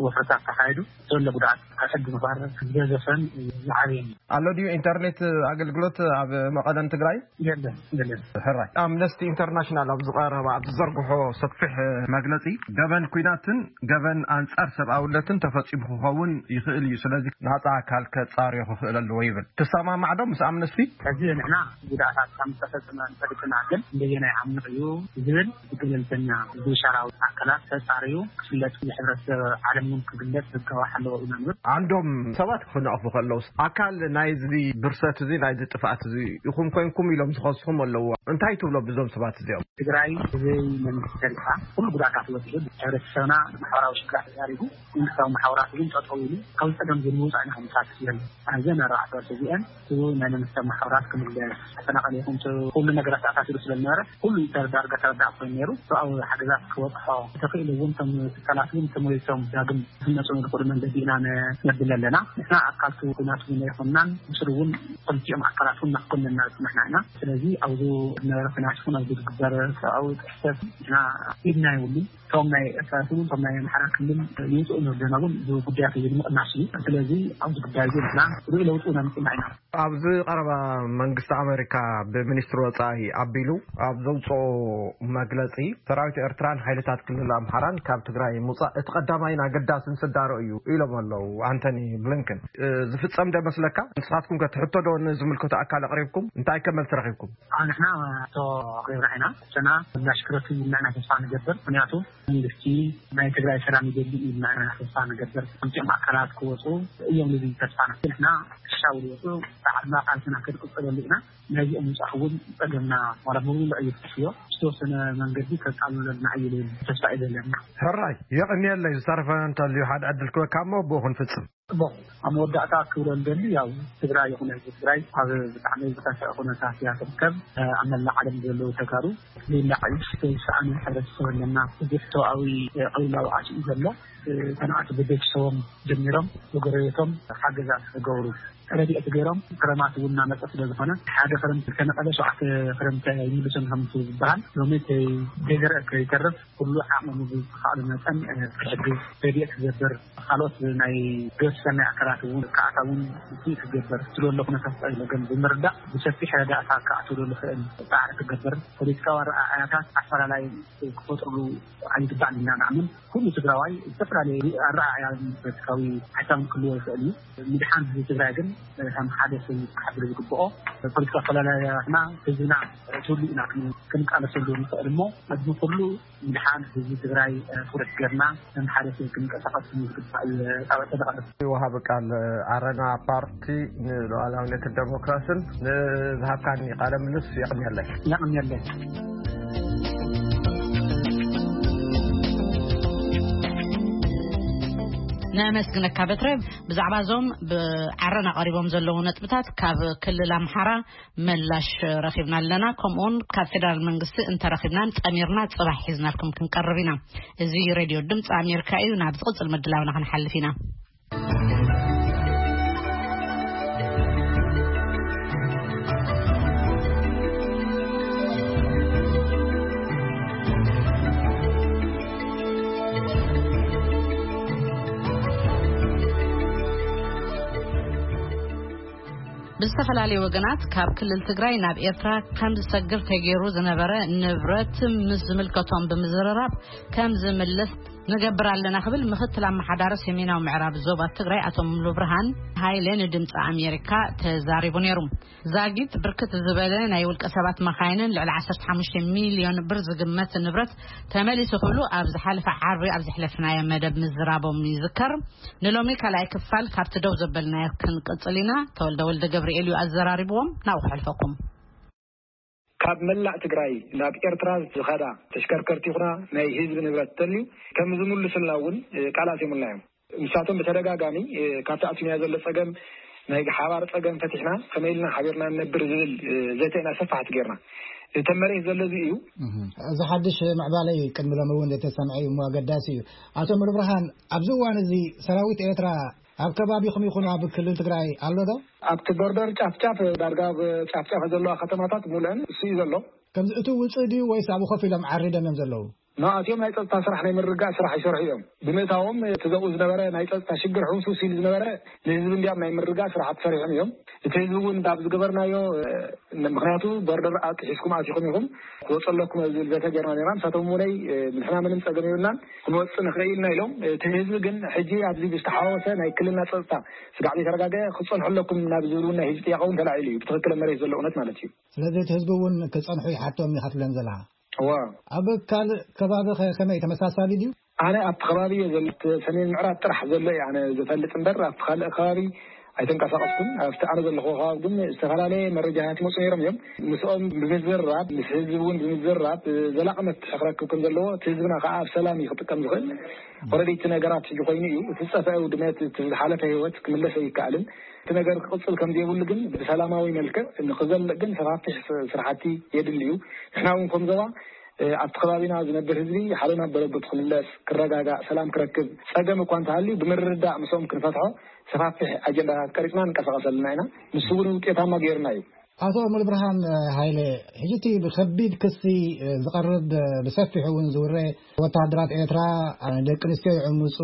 ወፍረታት ተኻይዱ ዘሎ ጉድኣት ካብ ሕጊ ምኽባር ዝገዘፈን ዝዓበየን እዩ። ኣሎ ድዩ ኢንተርኔት ኣገልግሎት ኣብ መቐለን ትግራይ? የለን፣ የለን። ሕራይ ኣምነስቲ ኢንተርናሽናል ኣብ ዝቐረበ ኣብ ዝዘርግሖ ሰፊሕ መግለፂ ገበን ኩናትን ገበን ኣንፃር ሰብኣውነትን ተፈፂሙ ክኸውን ይኽእል እዩ። ስለዚ ናፃ ኣካል ከፃርዮ ክኽእል ኣለዎ ይብል። ትሰማማዕ ዶ ምስ ኣምነስቲ? ሕዚ ንሕና ጉድኣታት ከም ዝተፈፀመ እንፈልጥና ግን እንደየናይ ዓሚቕ እዩ ዝብል ብገለልተኛ ብሸራዊ ኣካላት ተፃርዩ ክፍለጥ የሕብረተሰብ ዓለም እውን ክግለፅ ዝገባሕ ኣለዎ ኢና ንብል። ዓንዶም ሰባት ክነቕፉ ከለውስ ኣካል ናይዚ ብርሰት እዚ ናይዚ ጥፍኣት እዚ ኢኹም ኮይንኩም ኢሎም ዝኸስኹም ኣለዎ። እንታይ ትብሎ ብዞም ሰባት እዚኦም? ትግራይ ብዘይ መንግስቲ ተሪፋ ኩሉ ጉድኣታት በፂሑ ሕብረተሰብና ማሕበራዊ ሽግራት ተዳሪጉ መንግስታዊ ማሕበራት እውን ጠጠው ኢሉ ካብ ፀገም ዝንውፃእ ኢና ክንሳትፍ ዘለና። ኣብዘን ኣርባዕተ ወርሒ እዚአን እቲ ናይ መንግስታዊ ማሕበራት ተፈናቐለ ይኹን፣ ኩሉ ነገራት ኣሳሲሩ ስለ ዝነበረ፣ ኩሉ ዳርጋ ተረዳእ ኮይኑ ነይሩ። ሰብኣዊ ሓገዛት ክበፅሖ ተኽእል እውን፣ እቶም ትካላት እውን ተመሊሶም ዳግም ክህነፁ ንዝኽእሉ መንገዲ ኢና ነብል ኣለና። ንሕና ኣካልቱ ኩናት እውን ኣይኮንናን፣ ምስሉ እውን ክልቲኦም ኣካላት እውን ናክኮንና ዝፅናሕና ኢና። ስለዚ ኣብዚ ዝነበረ ኩናት ይኹን ኣብዚ ዝግበር ሰብኣዊ ጥሕሰት ንሕና ኢድና የብሉን። እቶም ናይ ኤርትራ እውን እቶም ናይ ኣምሓራ ክልል ይውፅኡ ንርደና እውን እዚ ጉዳያት እዩ ንምቕናስ እዩ። ስለዚ ኣብዚ ጉዳይ እዚ ንሕና ርኡይ ለውጢ እውን ኣምፅና ኢና። ኣብዚ ቀረባ መንግስቲ ኣሜሪካ ብሚኒስትሪ ወጻኢ ኣቢሉ ኣብ ዘውፅኦ መግለፂ፣ ሰራዊት ኤርትራን ሓይልታት ክልል ኣምሓራን ካብ ትግራይ ምውፃእ እቲ ቀዳማይን ኣገዳስን ስዳሮ እዩ ኢሎም ኣለዉ ኣንቶኒ ብሊንከን። እ፣ ዝፍጸም ዶ መስለካ? ንስኻትኩም ከ ትሕቶ ዶ ንዝምልከቶ ኣካል ኣቕሪብኩም? እንታይ ከ መልሲ ረኺብኩም? ኣብ ንሕና ሕቶ ኣቕሪብና ኢና። ሕቶና ምላሽ ክረክብ ኢልና ኢና ተስፋ ንገብር። ምክንያቱ መንግስቲ ናይ ትግራይ ሰላም ይደሊ ኢልና ኢና ተስፋ ንገብር። ክልቲኦም ኣካላት ክወፁ እዮም ንብል ተስፋና። ንሕና ክሻው ዝወፁ ብዓድና ቃልስና ክንቅፅለሉ ኢና። ናይዚኦም ምውፃእ እውን ፀገምና ዋላ ብምሉእ እዩ ተስዮ ዝተወሰነ መንገዲ ከቃልለልና እዩ ዝብል ተስፋ እዩ ዘለና። ሕራይ የቕንየለይ። ዝተረፈ እንተልዩ ሓደ ዕድል ክበካ እሞ ብኡ ክንፍፅም። ጽቡቕ። ኣብ መወዳእታ ክብሎ ዝደሊ ያው ትግራይ ይኹን ህዝቢ ትግራይ ኣብ ብጣዕሚ ዝኸፍአ ኩነታት እያ ትርከብ። ኣብ መላእ ዓለም ዘለዉ ተጋሩ ሌላ ዕይሽ ዘይሰኣኑ ሕብረተሰብ ኣለና። እዚ ሕቶኣዊ ቅልውላው ኣትዩ ዘሎ ተናኣቲ ብቤተሰቦም ጀሚሮም ብጎረቤቶም ሓገዛት ክገብሩ ረድኤት ገይሮም ክረማት እውን እናመፀ ስለ ዝኾነ ሓደ ክረምቲ ከነቐለ ሸውዓተ ክረምቲ ይምልሶም ከምቲ ዝበሃል ሎሚ ከይዘርአ ከይተርፍ ኩሉ ዓቕሙ ብዝተኻእሉ መጠን ክሕግዝ ረድኤት ክገብር ካልኦት ናይ ገሰናይ ኣካላት እውን ክኣታ እውን ውፅኢት ክገብር ስለሎ ኩነታት ፀገም ብምርዳእ ብሰፊሕ ረዳእታ ክኣትውሉ ዝኽእል ፃዕሪ ክገብር ፖለቲካዊ ኣረኣእያታት ኣፈላላይ ክፈጥርሉ ኣይግባእን ኢና ንኣምን። ኩሉ ትግራዋይ ዝተፈላለዩ ኣረኣእያን ፖለቲካዊ ሓሳብን ክህልዎ ይኽእል እዩ። ምድሓን ህዝቢ ትግራይ ግን ከም ሓደ ሰብ ክሓድር ዝግብኦ ፖለቲካ ኣፈላላያትና ህዝብና ትህሉ ኢና ክንቃለሰሉ ንኽእል እሞ ኣብዚ ኩሉ ምድሓን ህዝቢ ትግራይ ትኩረት ገርና ከም ሓደ ሰብ ክንቀሳቀስ ዝግባእ ጣበ ተደቐረ። ወሃቢ ቃል ዓረና ፓርቲ ንሉዓላውነትን ዴሞክራስን ንዝሃብካኒ ቃለ ምልስ የቕንየለይ። የቕንየለይ። ነመስግነካ በትረ። ብዛዕባ እዞም ብዓረና ቀሪቦም ዘለዉ ነጥብታት ካብ ክልል ኣምሓራ ምላሽ ረኺብና ኣለና። ከምኡውን ካብ ፌደራል መንግስቲ እንተረኺብናን ጠሚርና ጽባሕ ሒዝናልኩም ክንቀርብ ኢና። እዚ ሬድዮ ድምፂ ኣሜሪካ እዩ። ናብ ዝቕጽል ምድላውና ክንሓልፍ ኢና። ብዝተፈላለዩ ወገናት ካብ ክልል ትግራይ ናብ ኤርትራ ከም ዝሰግር ተገይሩ ዝነበረ ንብረት ምስ ዝምልከቶም ብምዝርራብ ከም ዝምልስ ንገብር ኣለና ክብል ምክትል ኣመሓዳሪ ሰሜናዊ ምዕራብ ዞባ ትግራይ ኣቶ ሙሉ ብርሃን ሃይለ ንድምፂ ኣሜሪካ ተዛሪቡ ነይሩ። ዛጊት ብርክት ዝበለ ናይ ውልቀ ሰባት መኻይንን ልዕሊ ዓሰርተ ሓሙሽተ ሚልዮን ብር ዝግመት ንብረት ተመሊሱ ክብሉ ኣብ ዝሓለፈ ዓርቢ ኣብ ዘሕለፍናዮ መደብ ምዝራቦም ይዝከር። ንሎሚ ካልኣይ ክፋል ካብቲ ደው ዘበልናዮ ክንቅጽል ኢና። ተወልደ ወልደ ገብርኤል እዩ ኣዘራሪብዎም። ናብኡ ከሕልፈኩም። ካብ መላእ ትግራይ ናብ ኤርትራ ዝኸዳ ተሽከርከርቲ ይኹና ናይ ህዝቢ ንብረት ተልዩ ከም ዝምልሱልና እውን ቃል ኣትዮምልና እዮም። ንሳቶም ብተደጋጋሚ ካብቲ ኣትዩና ዘሎ ጸገም ናይ ሓባር ጸገም ፈቲሕና ከመይ ኢልና ሓቢርና ንነብር ዝብል ዘተ ኢና ሰፋሕቲ ጌርና። እተን መሬት ዘሎ እዚ እዩ። እዚ ሓድሽ ምዕባለ እዩ። ቅድሚ ሎሚ እውን ዘይተሰምዐ እዩ እሞ ኣገዳሲ እዩ። ኣቶ ሙሉብርሃን፣ ኣብዚ እዋን እዚ ሰራዊት ኤርትራ ኣብ ከባቢኹም ይኹን ኣብ ክልል ትግራይ ኣሎ ዶ? ኣብቲ ቦርደር ጫፍጫፍ ዳርጋ ኣብ ጫፍጫፍ ዘለዋ ከተማታት ሙሉአን እሱ እዩ ዘሎ። ከምዚ እቲ ውፅእ ድዩ ወይስ ኣብኡ ኮፍ ኢሎም ዓሪዶም እዮም ዘለዉ? ንኣትዮም ናይ ጸጥታ ስራሕ ናይ ምርጋእ ስራሕ ይሰርሑ እዮም። ብምእታዎም እቲ ዘብኡ ዝነበረ ናይ ጸጥታ ሽግር ሕውስውስ ኢሉ ዝነበረ ንህዝቢ እንዲያም ናይ ምርጋእ ስራሓት ሰሪሖም እዮም። እቲ ህዝቢ እውን ኣብ ዝገበርናዮ ምክንያቱ ቦርደር ኣጥሒስኩም ኣቲኹም ኢኹም ክወፀለኩም ዝብል ዘተ ጌርና ነርና። ንሳቶም እውነይ ንሕና ምንም ፀገም የብልናን ክንወፅእ ንኽእል ኢና ኢሎም። እቲ ህዝቢ ግን ሕጂ ኣብዚ ብዝተሓዋወሰ ናይ ክልልና ፀጥታ ስጋዕ ዘይተረጋገ ክትፀንሑ ኣለኩም ናብ ዝብል እውን ናይ ህዝቢ ጥያቄ እውን ተላዒሉ እዩ። ብትኽክል መሬት ዘሎ እውነት ማለት እዩ። ስለዚ እቲ ህዝቢ እውን ክፀንሑ ይሓቶም ይኸፍለን ዘለኻ እዋ። ኣብ ካልእ ከባቢ ከ ከመይ ተመሳሳሊ ድዩ? ኣነ ኣብቲ ከባቢ እየ ዘሎ። እቲ ሰሜን ምዕራብ ጥራሕ ዘሎ እየ ኣነ ዝፈልጥ እምበር ኣብቲ ካልእ ከባቢ ኣይተንቀሳቐስኩን። ኣብቲ ኣነ ዘለኹ ከባቢ ግን ዝተፈላለየ መረጃታት ይመፁ ነይሮም እዮም። ምስኦም ብምዝራብ፣ ምስ ህዝቢ እውን ብምዝራብ፣ ዘላቒ መፍትሒ ክረክብ ከም ዘለዎ፣ እቲ ህዝብና ከዓ ኣብ ሰላም እዩ ክጥቀም ዝኽእል። ወረዲ እቲ ነገራት ሕጂ ኮይኑ እዩ። እቲ ዝጠፍአ ውድመት፣ እቲ ዝሓለፈ ህይወት ክምለስ ኣይከኣልን። እቲ ነገር ክቕፅል ከም ዘይብሉ ግን ብሰላማዊ መልክዕ ንክዘልቕ ግን ሰፋፍሕ ስ- ስራሕቲ የድሊ እዩ። ንሕና እውን ከም ዞባ ኣብቲ ከባቢና ዝነብር ህዝቢ ሓደ ናብ በረቦት ክምለስ፣ ክረጋጋእ፣ ሰላም ክረክብ፣ ፀገም እኳ እንተሃልዩ ብምርድዳእ ምስኦም ክንፈትሖ ሰፋፍሕ ኣጀንዳታት ቀሪፅና ንቀሳቀሰልና ኢና። ንሱ እውን ውጤታማ ገይርና እዩ። ኣቶ ሙሉብርሃን ሃይለ፣ ሕጂ እቲ ብከቢድ ክሲ ዝቐርብ፣ ብሰፊሑ እውን ዝውረ፣ ወተሃደራት ኤርትራ ደቂ ኣንስትዮ ይዕምፁ፣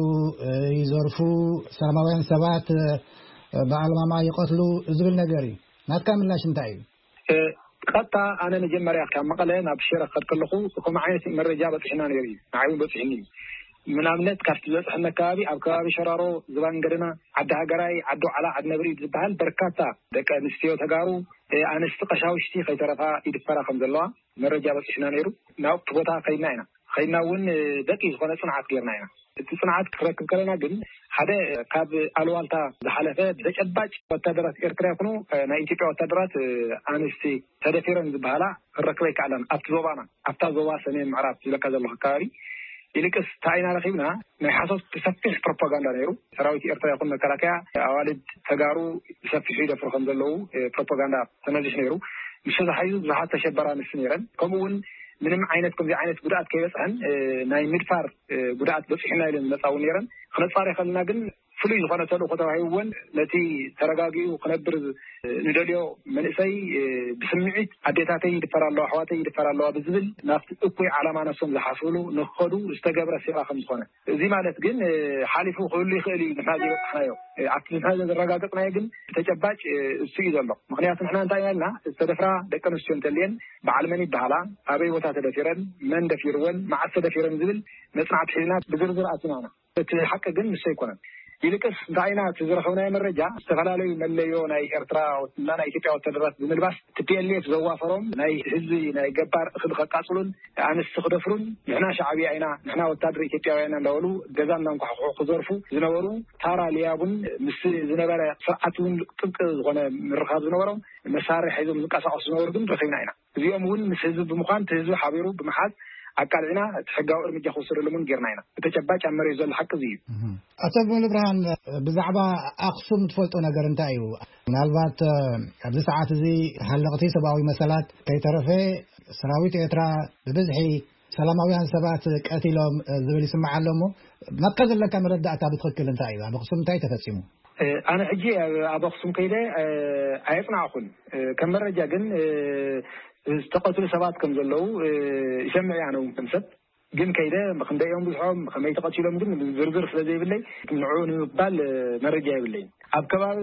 ይዘርፉ፣ ሰላማውያን ሰባት ብኣልማማ ይቐትሉ ዝብል ነገር እዩ። ናትካ ምላሽ እንታይ እዩ? ቀጥታ ኣነ መጀመርያ ካብ መቐለ ናብ ሽረ ክኸድ ከለኹ ከምኡ ዓይነት መረጃ በፂሕና ነይሩ እዩ። ንዓይ እውን በፂሕኒ እዩ። ምናብነት ካብቲ ዝበፅሐኒ ከባቢ ኣብ ከባቢ ሸራሮ፣ ዝባን ገደና፣ ዓዲ ሃገራይ፣ ዓዲ ዖላ፣ ዓዲ ነብሪ ዝበሃል በርካታ ደቂ ኣንስትዮ ተጋሩ፣ ኣንስቲ ቀሻውሽቲ ከይተረፋ ይድፈራ ከም ዘለዋ መረጃ በፂሕና ነይሩ። ናብቲ ቦታ ከይድና ኢና። ከይድና እውን በቂ ዝኾነ ፅንዓት ጌርና ኢና። እቲ ፅንዓት ክረክብ ከለና ግን ሓደ ካብ ኣልዋልታ ዝሓለፈ ተጨባጭ ወታደራት ኤርትራ ይኹኑ ናይ ኢትዮጵያ ወታደራት ኣንስቲ ተደፊረን ዝበሃላ ክረክበ ኣይከኣላን። ኣብቲ ዞባና፣ ኣብታ ዞባ ሰሜን ምዕራብ ዝብለካ ዘለኹ ከባቢ ይልቅስ እንታይ ኢና ረኺብና? ናይ ሓሶት ብሰፊሕ ፕሮፓጋንዳ ነይሩ። ሰራዊት ኤርትራ ይኹን መከላከያ ኣዋልድ ተጋሩ ብሰፊሑ ይደፍሩ ከም ዘለዉ ፕሮፓጋንዳ ተነዚሕ ነይሩ። ምስ ተታሒዙ ብዙሓት ተሸበራ ኣንስቲ ነይረን። ከምኡ እውን ምንም ዓይነት ከምዚ ዓይነት ጉድኣት ከይበፅሐን ናይ ምድፋር ጉድኣት በፂሑና ኢለን ዝመፃ እውን ነይረን። ክነፃሪ ከለና ግን ፍሉይ ዝኾነ ተልእኾ ተዋሂብወን ነቲ ተረጋጊኡ ክነብር ንደልዮ መንእሰይ ብስምዒት ኣዴታተይ ይድፈራ ኣለዋ፣ ኣሕዋተይ ይድፈራ ኣለዋ ብዝብል ናብቲ እኩይ ዓላማ ነሶም ዝሓስብሉ ንክኸዱ ዝተገብረ ሴራ ከም ዝኾነ፣ እዚ ማለት ግን ሓሊፉ ክህሉ ይኽእል እዩ። ንሕና ዘይበፅሕናዮ ኣብቲ ንሕና ዘረጋገፅናዮ ግን ብተጨባጭ እሱ እዩ ዘሎ። ምክንያቱ ንሕና እንታይ ኢልና ዝተደፍራ ደቂ ኣንስትዮ እንተልየን በዓል መን ይበሃላ፣ ኣበይ ቦታ ተደፊረን፣ መን ደፊርወን፣ መዓስ ተደፊረን ዝብል መፅናዕቲ ሒዝና ብዝርዝር ኣቲናና። እቲ ሓቂ ግን ንሱ ኣይኮነን። ይልቅስ እንታይ ኢና እቲ ዝረኸብናዮ መረጃ ዝተፈላለዩ መለዮ ናይ ኤርትራ እና ናይ ኢትዮጵያ ወታደራት ብምልባስ ቲ ፒ ኤል ኤፍ ዘዋፈሮም ናይ ህዝቢ ናይ ገባር እኽሊ ከቃፅሉን ኣንስቲ ክደፍሩን ንሕና ሻዕብያ ኢና ንሕና ወታደር ኢትዮጵያውያን እንዳበሉ ገዛ እናንኳሕኩሑ ክዘርፉ ዝነበሩ ታራ ልያቡን ምስ ዝነበረ ስርዓት እውን ጥብቂ ዝኾነ ምርኻብ ዝነበሮም መሳርሒ ሒዞም ዝንቀሳቀሱ ዝነበሩ ግን ረኺብና ኢና። እዚኦም እውን ምስ ህዝቢ ብምዃን እቲ ህዝቢ ሓቢሩ ብምሓዝ ኣቃልዕና እቲ ሕጋዊ እርምጃ ክወሰደሎም እውን ጌርና ኢና። ብተጨባጭ ኣብ መሬት ዘሎ ሓቂ እዚ እዩ። ኣቶ ሙሉ ብርሃን፣ ብዛዕባ ኣክሱም ትፈልጦ ነገር እንታይ እዩ? ምናልባት ኣብዚ ሰዓት እዚ ሃለቕቲ ሰብኣዊ መሰላት ከይተረፈ ሰራዊት ኤርትራ ብብዝሒ ሰላማውያን ሰባት ቀቲሎም ዝብል ይስማዕ ኣሎ እሞ ናትካ ዘለካ መረዳእታ ብትኽክል እንታይ እዩ? ኣብ ኣክሱም እንታይ ተፈፂሙ? ኣነ ሕጂ ኣብ ኣክሱም ከይደ ኣየፅናዕኩን። ከም መረጃ ግን ዝተቐትሉ ሰባት ከም ዘለዉ ይሰምዕ እየ። ኣነ እውን ከም ሰብ ግን ከይደ ክንደይ እዮም ብዝሖም ከመይ ተቐቲሎም ግን ዝርዝር ስለ ዘይብለይ ንዕኡ ንምባል መረጃ የብለይን። ኣብ ከባቢ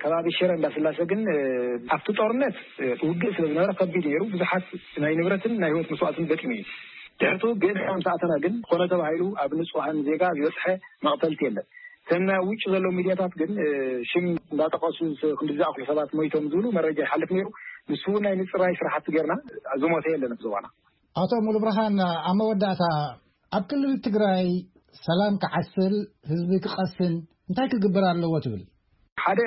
ከባቢ ሽረ እንዳስላሰ ግን ኣብቲ ጦርነት ውግእ ስለ ዝነበረ ከቢድ ነይሩ። ብዙሓት ናይ ንብረትን ናይ ህይወት መስዋእትን ገጢሙ እዩ። ድሕርቱ ግን ምስ ኣተና ግን ኮነ ተባሂሉ ኣብ ንጹሃን ዜጋ ዝበፅሐ መቕተልቲ የለን። እተን ናይ ውጭ ዘለዉ ሚድያታት ግን ሽም እንዳጠቐሱ ክንዲ ዝኣኽሉ ሰባት ሞይቶም ዝብሉ መረጃ ይሓልፍ ነይሩ። ንሱ እውን ናይ ምፅራይ ስራሕቲ ጌርና ዝሞተ የለን ኣብዚ እዋና። ኣቶ ሙሉ ብርሃን፣ ኣብ መወዳእታ ኣብ ክልል ትግራይ ሰላም ክዓስል ህዝቢ ክቐስን እንታይ ክግበር ኣለዎ ትብል? ሓደ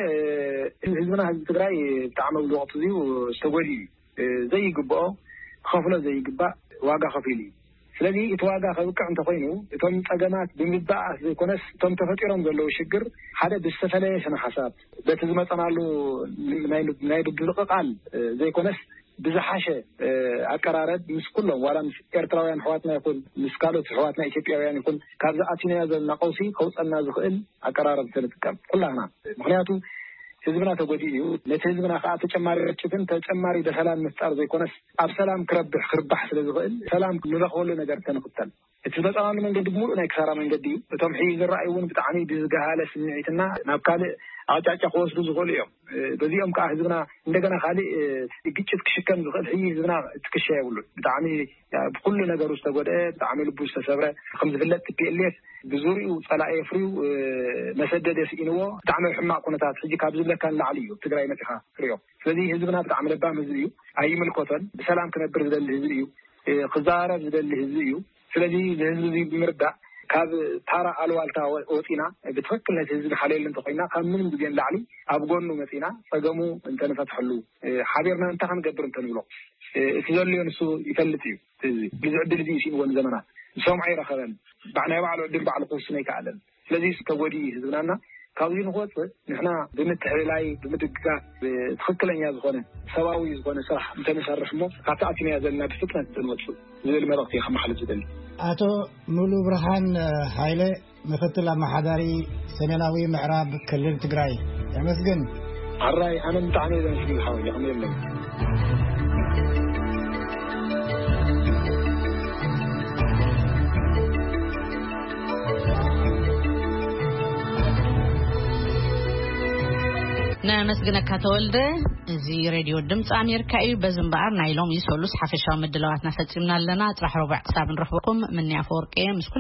ህዝብና ህዝቢ ትግራይ ብጣዕሚ ኣብዚ ወቅቲ እዚኡ ዝተጎድኡ እዩ። ዘይግብኦ ክኸፍሎ ዘይግባእ ዋጋ ከፊሉ እዩ። ስለዚ እቲ ዋጋ ከብቅዕ እንተኮይኑ እቶም ፀገማት ብምባኣስ ዘይኮነስ እቶም ተፈጢሮም ዘለዉ ሽግር ሓደ ብዝተፈለየ ስነ ሓሳብ በቲ ዝመፀናሉ ናይ ናይ ምድልቕቓል ዘይኮነስ ብዝሓሸ ኣቀራረብ ምስ ኩሎም ዋላ ምስ ኤርትራውያን ኣሕዋትና ይኹን ምስ ካልኦት ኣሕዋትና ኢትዮጵያውያን ይኹን ካብዚ ኣቲናዮ ዘለና ቀውሲ ከውፀና ዝኽእል ኣቀራረብ ተንጥቀም ኩላህና። ምክንያቱ ህዝብና ተጎዲኡ እዩ። ነቲ ህዝብና ከዓ ተጨማሪ ርጭትን ተጨማሪ ደፈላን ምፍጣር ዘይኮነስ ኣብ ሰላም ክረብሕ ክርባሕ ስለ ዝኽእል ሰላም ንረኽበሉ ነገር ተንኽተል። እቲ ዝመፃናሉ መንገዲ ብምሉእ ናይ ክሳራ መንገዲ እዩ። እቶም ሕዚ ዝረኣዩ እውን ብጣዕሚ ብዝገሃለ ስምዒትና ናብ ካልእ ኣቅጫጫ ክወስዱ ዝኽእሉ እዮም። በዚኦም ከዓ ህዝብና እንደገና ካልእ ግጭት ክሽከም ዝኽእል ሕዚ ህዝብና ትክሻ የብሉን። ብጣዕሚ ብኩሉ ነገሩ ዝተጎድአ ብጣዕሚ ልቡ ዝተሰብረ ከም ዝፍለጥ ቲ ፒ ኤል ኤፍ ብዙሪኡ ፀላኢ የፍርዩ መሰደደ ስኢንዎ ብጣዕሚ ሕማቅ ኩነታት ሕጂ ካብ ዝብለካ ንላዕሊ እዩ ትግራይ መፂኻ ትሪኦ። ስለዚ ህዝብና ብጣዕሚ ለባም ህዝቢ እዩ። ኣይምልከቶን። ብሰላም ክነብር ዝደሊ ህዝቢ እዩ። ክዘራረብ ዝደሊ ህዝቢ እዩ። ስለዚ ንህዝቢ እዚ ብምርዳእ ካብ ታራ ኣልዋልታ ወ- ወፂና ብትክክል ነቲ ህዝቢ ሓልየሉ እንተኮይና ካብ ምንም ግዜ ንላዕሊ ኣብ ጎኑ መፂና ጸገሙ እንተንፈትሐሉ፣ ሓቢርና እንታይ ክንገብር እንተንብሎ፣ እቲ ዘልዮ ንሱ ይፈልጥ እዩ። እዚ ብዙ ዕድል እዚ ይስኢንዎ ንዘመናት ዝሰምዖ ይረኸበን። ባዕ- ናይ ባዕሉ ዕድል ባዕሉ ክውስኖ ይከኣለን። ስለዚ ተጎዲ ህዝብናና ካብዚ ንክወፅእ ንሕና ብምትሕልላይ ብምድግጋፍ ትክክለኛ ዝኾነ ሰብኣዊ ዝኾነ ስራሕ እንተንሰርሕ እሞ ካብቲ ኣቲናያ ዘለና ብፍጥነት እንወፅእ ዝብል መልእክቲ ከመሓልፍ ዝደሊ። ኣቶ ሙሉ ብርሃን ሃይለ፣ ምክትል ኣመሓዳሪ ሰሜናዊ ምዕራብ ክልል ትግራይ። የመስግን። ኣራይ ኣነ ብጣዕሚ እየ ዘመስግን ሓወይ፣ ይቕም የለን። ነመስግነካ ተወልደ። እዚ ሬድዮ ድምፂ ኣሜሪካ እዩ። በዚ እምበኣር ናይ ሎሚ ሰሉስ ሓፈሻዊ ምድላዋትና ፈፂምና ኣለና። ፅራሕ ረቡዕ ክሳብ ንረኽበኩም፣ ምንያ ኣፈወርቂ እየ። ምስ ኩሉ